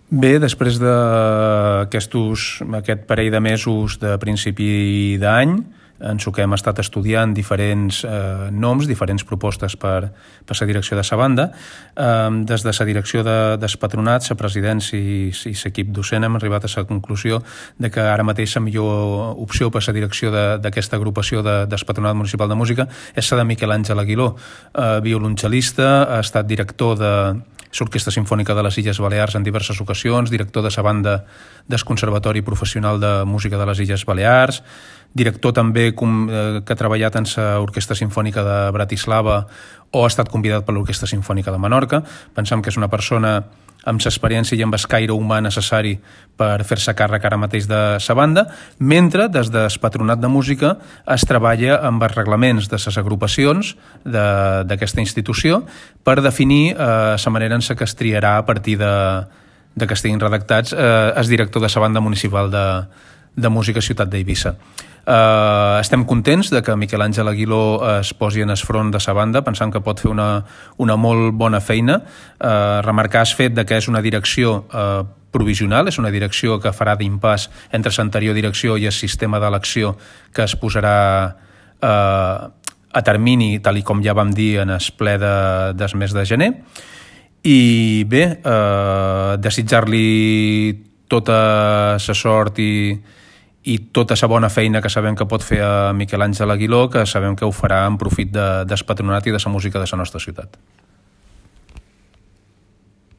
Bé, després d'aquest parell de mesos de principi d'any, en què hem estat estudiant diferents noms, diferents propostes per la direcció de la banda. Des de la direcció del patronat, la presidència i l'equip docent hem arribat a la conclusió de que ara mateix la millor opció per la direcció d'aquesta agrupació del Patronat Municipal de Música és la de Miquel Àngel Aguiló, violoncel·lista, ha estat director de l'Orquestra Simfònica de les Illes Balears en diverses ocasions, director de la banda del Conservatori Professional de Música de les Illes Balears, director també que ha treballat en l'Orquestra Simfònica de Bratislava o ha estat convidat per l'Orquestra Simfònica de Menorca. Pensem que és una persona amb l'experiència i amb el caire humà necessari per fer-se càrrec ara mateix de la banda, mentre des del Patronat de Música es treballa amb els reglaments de les agrupacions d'aquesta institució per definir la manera en què es triarà a partir de que estiguin redactats el director de la banda municipal de música Ciutat d'Eivissa. Estem contents de que Miquel Àngel Aguiló es posi en el front de la banda, pensant que pot fer una molt bona feina. Remarcar el fet que és una direcció provisional, és una direcció que farà d'impàs entre l'anterior direcció i el sistema d'elecció que es posarà a termini, tal com ja vam dir en el ple del mes de gener. I bé, desitjar-li tota la sort i tota la bona feina que sabem que pot fer a Miquel Àngel Aguiló, que sabem que ho farà en profit del patronat i de la música de la nostra ciutat.